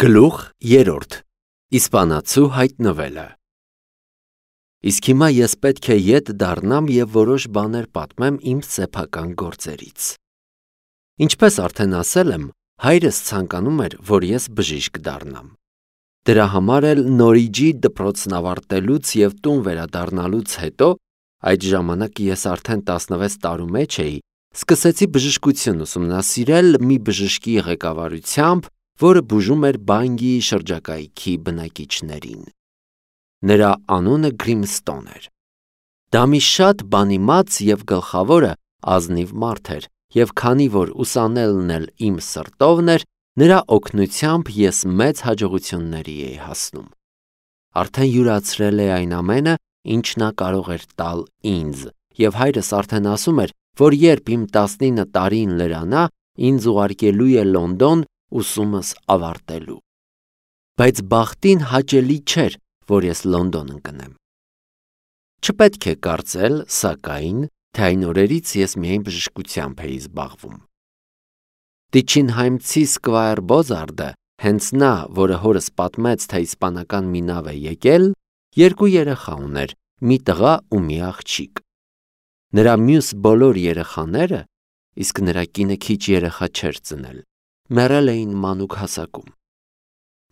Գլուխ 3. Իսպանացու հայտնվելը։ Իսկ հիմա ես պետք է ետ դառնամ և որոշ բաներ պատմեմ իմ սեփական գործերից։ Ինչպես արդեն ասել եմ, հայրս ցանկանում էր, որ ես բժիշկ դառնամ։ Դրա համար էլ Նորիջի դպրոցն ավարտելուց և տուն վերադառնալուց հետո, այդ ժամանակ ես արդեն 16 տարու մեջ էի, սկսեցի բժշկություն ուսումնասիրել մի բժշկի ղեկավարությամբ, որը բուժում էր Բանգիի շրջակայքի բնակիչներին։ Նրա անունը Գրիմստոն էր։ Դա մի շատ բանիմաց և գլխավորը ազնիվ մարդ էր, և քանի որ ուսանելն էլ իմ սրտովն էր, նրա օգնությամբ ես մեծ հաջողությունների էի հասնում։ Արդեն յուրացրել է այն ամենը, ինչ նա կարող էր տալ ինձ, և հայրս արդեն ասում էր, որ երբ իմ 19 տարին լրանա, ինձ ուղարկելու է Լոնդոն ուսումս ավարտելու։ Բայց բախտին հաճելի չէր, որ ես Լոնդոն ընկնեմ։ Չպետք է կարծել, սակայն, թե այն օրերից ես միայն բժշկությամբ էի զբաղվում։ Տիչինհայմցի Սկվայր Բոզարդը, հենց նա, որը հորս պատմեց, թե իսպանական մի նավ է եկել, 2 երեխա ուներ, մի տղա ու մի աղջիկ։ Նրա մյուս բոլոր երեխաները, իսկ նրա կինը քիչ երեխա չէր ծնել, մեռել էին մանուկ հասակում։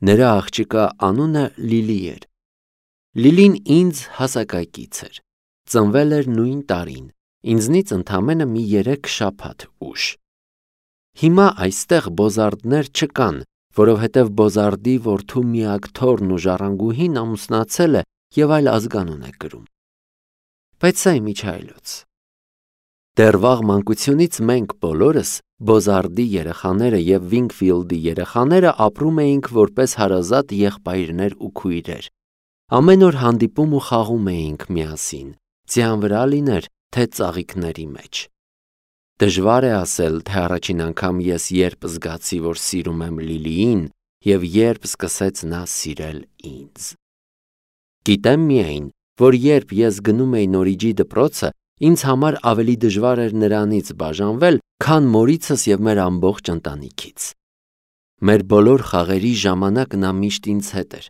Նրա աղջկա անունը Լիլի էր։ Լիլին ինձ հասակակից էր, ծնվել էր նույն տարին, ինձնից ընդամենը մի 3 շաբաթ ուշ։ Հիմա այստեղ Բոզարդներ չկան, որովհետև Բոզարդի որդու միակ թոռն ու ժառանգուհին ամուսնացել է և այլ ազգանուն է կրում։ Բայց սա իմիջայլոց։ Դեռ վաղ մանկությունից մենք բոլորս, Բոզարդի երեխաները և Վինգֆիլդի երեխաները ապրում էինք որպես հարազատ եղբայրներ ու քույրեր։ Ամեն օր հանդիպում ու խաղում էինք միասին, ձյան վրա լիներ, թե ծաղիկների մեջ։ Դժվար է ասել, թե առաջին անգամ ես երբ զգացի, որ սիրում եմ Լիլիին և երբ սկսեց նա սիրել ինձ։ Գիտեմ միայն, որ երբ ես գնում էի Նորիջի դպրոցը, ինձ համար ավելի դժվար էր նրանից բաժանվել, քան մորիցս և մեր ամբողջ ընտանիքից։ Մեր բոլոր խաղերի ժամանակ նա միշտ ինձ հետ էր։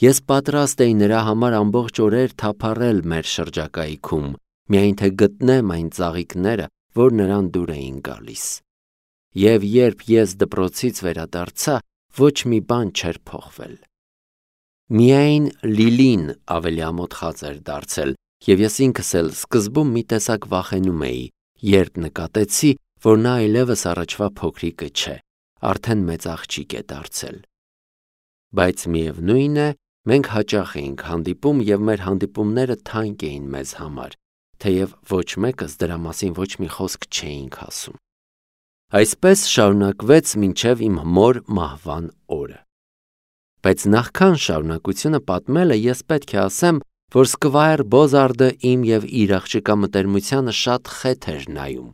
Ես պատրաստ էի նրա համար ամբողջ օրեր թափառել մեր շրջակայքում, միայն թե գտնեմ այն ծաղիկները, որ նրան դուր էին գալիս։ Եվ երբ ես դպրոցից վերադարձա, ոչ մի բան չէր փոխվել։ Միայն Լիլին ավելի ամոթխած էր դարձել, և ես ինքս էլ սկզբում մի տեսակ վախենում էի, երբ նկատեցի, որ նա այլևս առաջվա փոքրիկը չէ, արդեն մեծ աղջիկ է դարձել։ Բայց միևնույն է, մենք հաճախ էինք հանդիպում և մեր հանդիպումները թանկ էին մեզ համար, թեև ոչ մեկս դրա մասին ոչ մի խոսք չէինք ասում։ Այսպես շարունակվեց մինչև իմ մոր մահվան օրը։ Բայց նախքան շարունակությունը պատմելը ես պետք է ասեմ, որ Սկվայր Բոզարդը իմ և իր աղջկա մտերմությանը շատ խեթ էր նայում։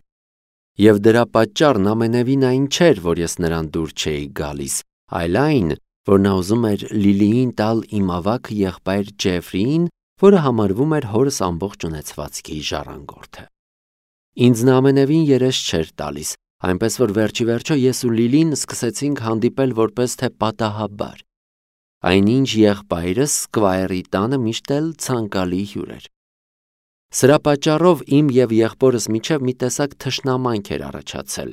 Եվ դրա պատճառն ամենևին այն չէր, որ ես նրան դուր չէի գալիս, այլ այն, որ նա ուզում էր Լիլիին տալ իմ ավագ եղբայր Ջեֆրիին, որը համարվում էր հորս ամբողջ ունեցվածքի ժառանգորդը։ Ինձ նա ամենևին երես չէր տալիս, այնպես որ վերջիվերջո ես ու Լիլին սկսեցինք հանդիպել որպես թե պատահաբար։ Այնինչ եղբայրս Սկվայրի տանը միշտ էլ ցանկալի հյուր էր։ Սրա պատճառով իմ և եղբորս միջև մի տեսակ թշնամանք էր առաջացել։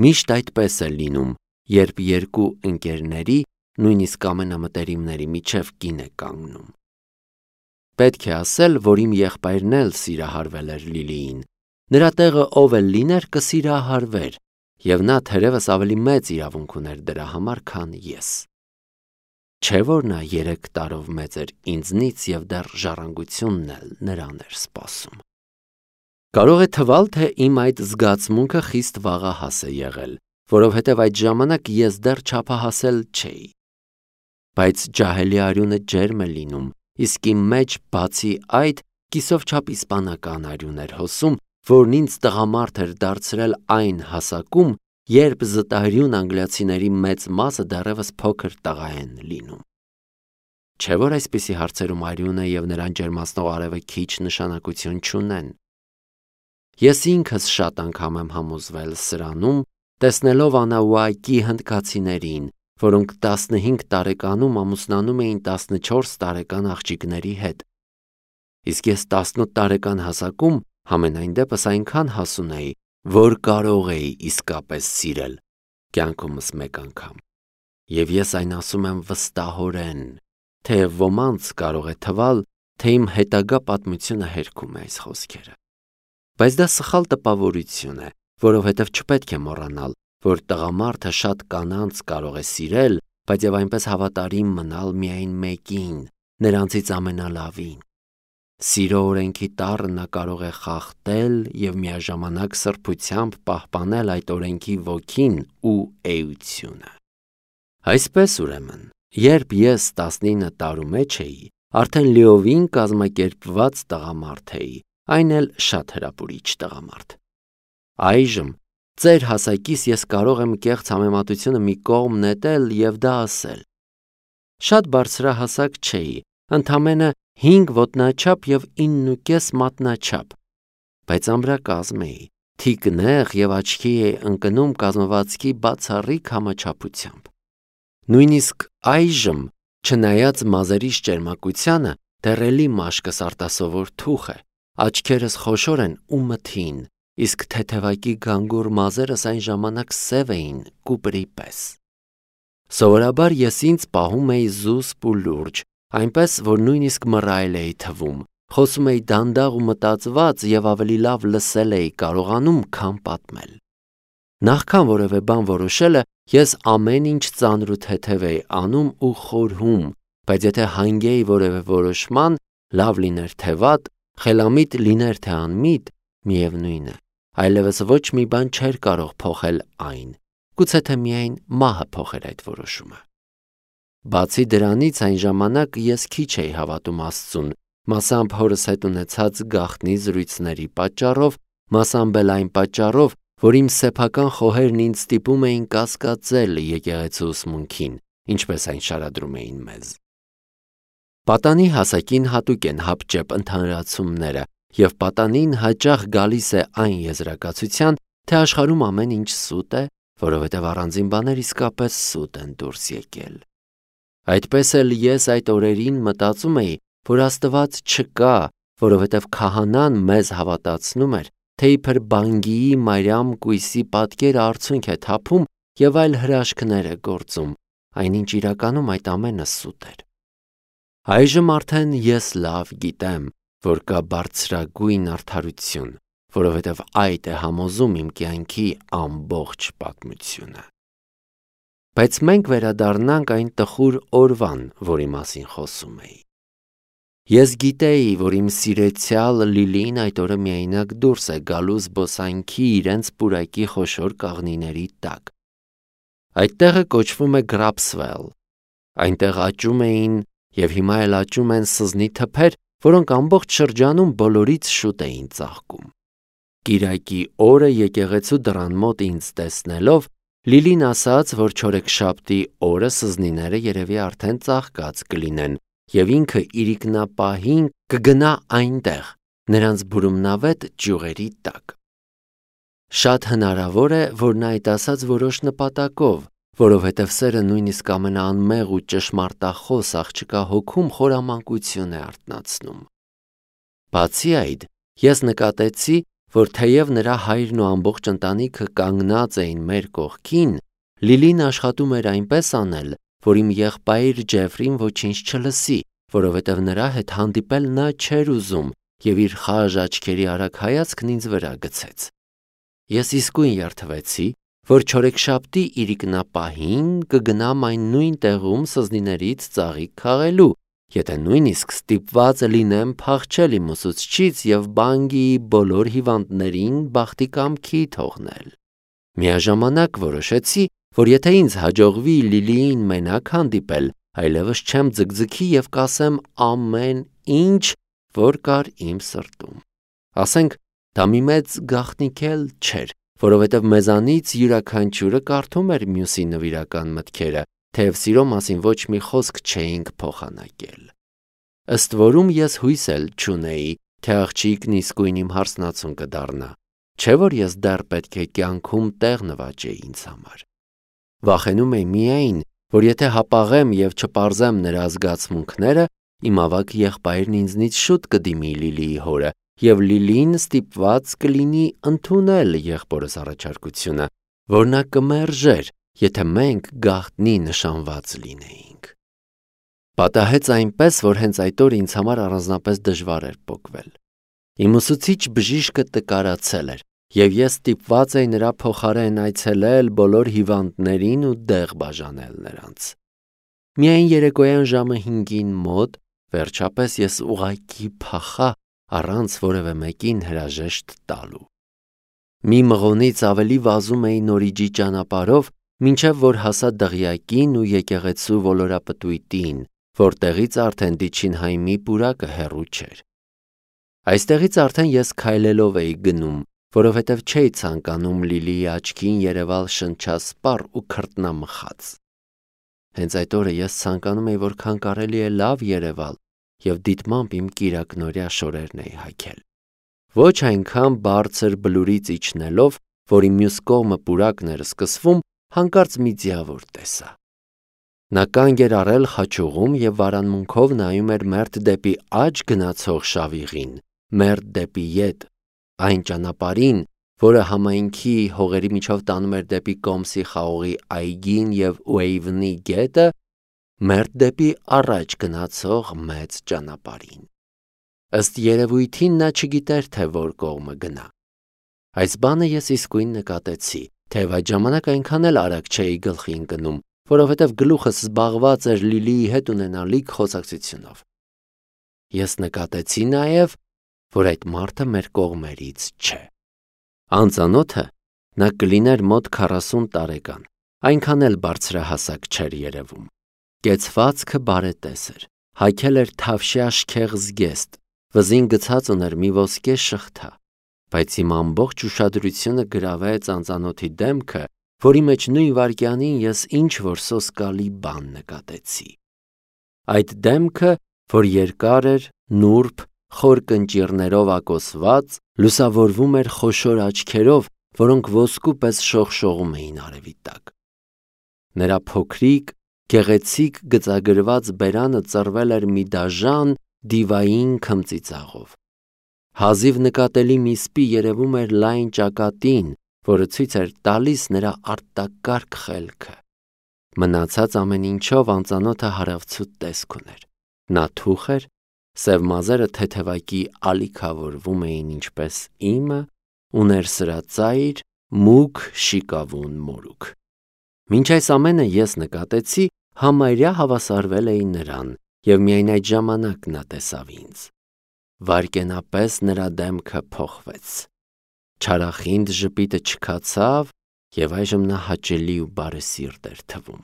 Միշտ այդպես է լինում, երբ երկու ընկերների, նույնիսկ ամենամտերիմների միջև կին է կանգնում։ Պետք է ասել, որ իմ եղբայրն էլ սիրահարվել էր Լիլիին։ Նրա տեղը ով էլ լիներ կսիրահարվեր, և նա թերևս ավելի մեծ իրավունք ուներ դրա համար, քան ես։ Չէ՞ որ նա 3 տարով մեծ էր ինձնից և դեռ ժառանգությունն էլ նրան էր սպասում։ Կարող է թվալ, թե իմ այդ զգացմունքը խիստ վաղահաս է եղել, որովհետև այդ ժամանակ ես դեռ չափահասել չէի։ Բայց ջահելի արյունը ջերմ է լինում, իսկ իմ մեջ, բացի այդ, կիսով չափ իսպանական արյուն էր հոսում, որն ինձ տղամարդ էր դարձրել այն հասակում, երբ զտարյուն անգլիացիների մեծ մասը դեռևս փոքր տղա են լինում։ Չէ՞ որ այսպիսի հարցերում արյունը և նրան ջերմացնող արևը քիչ նշանակություն չունեն։ Ես ինքս շատ անգամ եմ համոզվել սրանում, տեսնելով Անաուակի հնդկացիներին, որոնք 15 տարեկանում ամուսնանում էին 14 տարեկան աղջիկների հետ։ Իսկ ես 18 տարեկան հասակում համենայն դեպս այնքան հասուն էի, որ կարող էի իսկապես սիրել կյանքումս մեկ անգամ։ Եվ ես այն ասում եմ վստահորեն, թեև ոմանց կարող է թվալ, թե իմ հետագա պատմությունը հերքում է այս խոսքերը։ Բայց դա սխալ տպավորություն է, որովհետև չպետք է մոռանալ, որ տղամարդը շատ կանանց կարող է սիրել, բայց եւ այնպես հավատարիմ մնալ միայն մեկին, նրանցից ամենալավին։ Սիրո օրենքի տառը նա կարող է խախտել եւ միաժամանակ սրբությամբ պահպանել այդ օրենքի ոգին ու էությունը։ Այսպես ուրեմն, երբ ես 19 տարու մեջ էի, արդեն լիովին կազմակերպված տղամարդ էի, այն էլ շատ հրապուրիչ տղամարդ։ Այժմ ծեր հասակիս ես կարող եմ կեղծ համեմատությունը մի կողմ նետել եւ դա ասել. շատ բարձրահասակ չէի, ընդամենը 5 ոտնաչափ եւ 9.5 մատնաչափ, բայց ամրակազմ էի, թիկնեղ եւ աչքի էի ընկնում կազմվածքի բացառիկ համաչափությամբ։ Նույնիսկ այժմ, չնայած մազերիս ճերմակությանը, դեռ էլի մաշկս արտասովոր թուխ է, աչքերս խոշոր են ու մթին, իսկ թեթևակի գանգուր մազերս այն ժամանակ սև էին կուպրի պես։ Սովորաբար ես ինձ պահում էի զուսպ ու լուրջ, այնպես որ նույնիսկ մռայլ էի թվում, խոսում էի դանդաղ ու մտածված եւ ավելի լավ լսել էի կարողանում, քան պատմել։ Նախքան որևէ բան որոշելը, ես ամեն ինչ ծանր ու թեթև էի անում ու խորհում, բայց եթե հանգեի որևէ որոշման, լավ լիներ թե վատ, խելամիտ լիներ թե անմիտ, միևնույն է, այլևս ոչ մի բան չէր կարող փոխել այն, գուցե թե միայն մահը փոխեր այդ որոշումը։ Բացի դրանից այն ժամանակ ես քիչ էի հավատում Աստծուն, մասամբ հորս հետ ունեցած գաղտնի զրույցների պատճառով, մասամբ էլ այն պատճառով, որ իմ սեփական խոհերն ինձ ստիպում էին կասկածել եկեղեցու ուսմունքին, ինչպես այն շարադրում էին մեզ։ Պատանի հասակին հատուկ են հապճեպ ընդհանրացումները, եւ պատանին հաճախ գալիս է այն եզրակացության, թե աշխարհում ամեն ինչ սուտ է, որովհետև առանձին բաներ իսկապես սուտ են դուրս եկել։ Այդպես էլ ես այդ օրերին մտածում էի, որ Աստված չկա, որովհետև քահանան մեզ հավատացնում էր, թե իբր Բանգիի Մարիամ կույսի պատկերը արցունք է թափում եւ այլ հրաշքներ է գործում, այնինչ իրականում այդ ամենը սուտ էր։ Այժմ արդեն ես լավ գիտեմ, որ կա բարձրագույն արդարություն, որովհետև այդ է համոզում իմ կյանքի ամբողջ պատմությունը։ Բայց մենք վերադառնանք այն տխուր օրվան, որի մասին խոսում էի։ Ես գիտեի, որ իմ սիրեցյալ Լիլին այդ օրը միայնակ դուրս է գալու զբոսանքի իրենց պուրակի խոշոր կաղնիների տակ։ Այդ տեղը կոչվում է Գրապսվել։ Այնտեղ աճում էին եւ հիմա էլ աճում են սզնի թփեր, որոնք ամբողջ շրջանում բոլորից շուտ էին ծաղկում։ Կիրակի օրը եկեղեցու դռան մոտ ինձ տեսնելով, Լիլին ասաց, որ չորեքշաբթի օրը սզնիները երևի արդեն ծաղկած կլինեն, եւ ինքը իրիկնապահին կգնա այնտեղ, նրանց բուրումնավետ ճյուղերի տակ։ Շատ հնարավոր է, որ նա այդ ասաց որոշ նպատակով, որովհետև սերը նույնիսկ ամենաանմեղ ու ճշմարտախոս աղջկա հոգում խորամանկություն է արթնացնում։ Բացի այդ, ես նկատեցի, որ թեև նրա հայրն ու ամբողջ ընտանիքը կանգնած էին մեր կողքին, Լիլին աշխատում էր այնպես անել, որ իմ եղբայր Ջեֆրին ոչինչ չլսի, որովհետև նրա հետ հանդիպել նա չէր ուզում եւ իր խաժ աչքերի արագ հայացքն ինձ վրա գցեց։ Ես իսկույն երդվեցի, որ չորեքշաբթի իրիկնապահին կգնամ այն նույն տեղում սզնիներից ծաղիկ քաղելու, եթե նույնիսկ ստիպված լինեմ փախչել իմ ուսուցչից եւ Բանգիի բոլոր հիվանդներին բախտի կամքի թողնել։ Միաժամանակ որոշեցի, որ եթե ինձ հաջողվի Լիլիին մենակ հանդիպել, այլևս չեմ ձգձգի եւ կասեմ ամեն ինչ, որ կար իմ սրտում։ Ասենք, դա մի մեծ գաղտնիք էլ չէր, որովհետև մեզանից յուրաքանչյուրը կարդում էր մյուսի նվիրական մտքերը, թեև սիրո մասին ոչ մի խոսք չէինք փոխանակել։ Ըստ որում ես հույս էլ չունեի, թե աղջիկն իսկույն իմ հարսնացուն կդառնա, չէ որ ես դեռ պետք է կյանքում տեղ նվաճեի ինձ համար։ Վախենում էի միայն, որ եթե հապաղեմ և չպարզեմ նրա զգացմունքները, իմ ավագ եղբայրն ինձնից շուտ կդիմի Լիլիի հորը, և Լիլին ստիպված կլինի ընդունել եղբորս առաջարկությունը, որ նա կմերժեր, եթե մենք գաղտնի նշանված լինեինք։ Պատահեց այնպես, որ հենց այդ օրը ինձ համար առանձնապես դժվար էր պոկվել։ Իմ ուսուցիչ բժիշկը տկարացել էր, և ես ստիպված էի նրա փոխարեն այցելել բոլոր հիվանդներին ու դեղ բաժանել նրանց։ Միայն երեկոյան ժամը 5-ին մոտ վերջապես ես ուղղակի փախա առանց որևէ մեկին հրաժեշտ տալու։ Մի մղոնից ավելի վազում էի Նորիջի ճանապարհով, մինչև որ հասա դղյակին ու եկեղեցու ոլորապտույտին, որտեղից արդեն Դիչինհայմի պուրակը հեռու չէր։ Այստեղից արդեն ես քայլելով էի գնում, որովհետև չէի ցանկանում Լիլիի աչքին երևալ շնչասպառ ու քրտնամխած։ Հենց այդ օրը ես ցանկանում էի որքան կարելի է լավ երևալ և դիտմամբ իմ կիրակնօրյա շորերն էի հագել։ Ոչ այնքան բարձր բլուրից իջնելով, որի մյուս կողմը պուրակն էր սկսվում, հանկարծ մի ձիավոր տեսա։ Նա կանգ էր առել խաչուղում և վարանմունքով նայում էր մերթ դեպի աջ գնացող շավիղին, մերթ դեպի ետ, այն ճանապարհին, որը համայնքի հողերի միջով տանում էր դեպի Կոմսի խաղողի այգին և Ուեյվնի գետը, մերթ դեպի առաջ գնացող մեծ ճանապարհին։ Ըստ երևույթին նա չգիտեր, թե որ կողմը գնա։ Այս բանը ես իսկույն նկատեցի, թեև այդ ժամանակ այնքան էլ արագ չէի գլխի ընկնում, որովհետև գլուխս զբաղված էր Լիլիի հետ ունենալիք խոսակցությունով։ Ես նկատեցի նաև, որ այդ մարդը մեր կողմերից չէ։ Անծանոթը նա կլիներ մոտ 40 տարեկան, այնքան էլ բարձրահասակ չէր երևում։ Կեցվածքը բարետես էր, հագել էր թավշյա շքեղ զգեստ, վզին գցած ուներ մի ոսկե շղթա, բայց իմ ամբողջ ուշադրությունը գրավեց անծանոթի դեմքը, որի մեջ նույն վայրկյանին ես ինչ-որ սոսկալի բան նկատեցի։ Այդ դեմքը, որ երկար էր, նուրբ, խոր կնճիռներով ակոսված, լուսավորվում էր խոշոր աչքերով, որոնք ոսկու պես շողշողում էին արևի տակ։ Նրա փոքրիկ, գեղեցիկ գծագրված բերանը ծռվել էր մի դաժան, դիվային քմծիծաղով։ Հազիվ նկատելի մի սպի երևում էր լայն ճակատին, որը ցույց էր տալիս նրա արտակարգ խելքը։ Մնացած ամեն ինչով անծանոթը հարավցուտ տեսք ուներ։ Նա թուխ էր, սև մազերը թեթևակի ալիքավորվում էին ինչպես իմը, ուներ սրածայր, մուգ շիկավուն մորուք։ Մինչ այս ամենը ես նկատեցի, համարյա հավասարվել էի նրան, և միայն այդ ժամանակ նա տեսավ ինձ։ Վայրկենապես նրա դեմքը փոխվեց։ Չարախինդ ժպիտը չքացավ, և այժմ նա հաճելի ու բարեսիրտ էր թվում։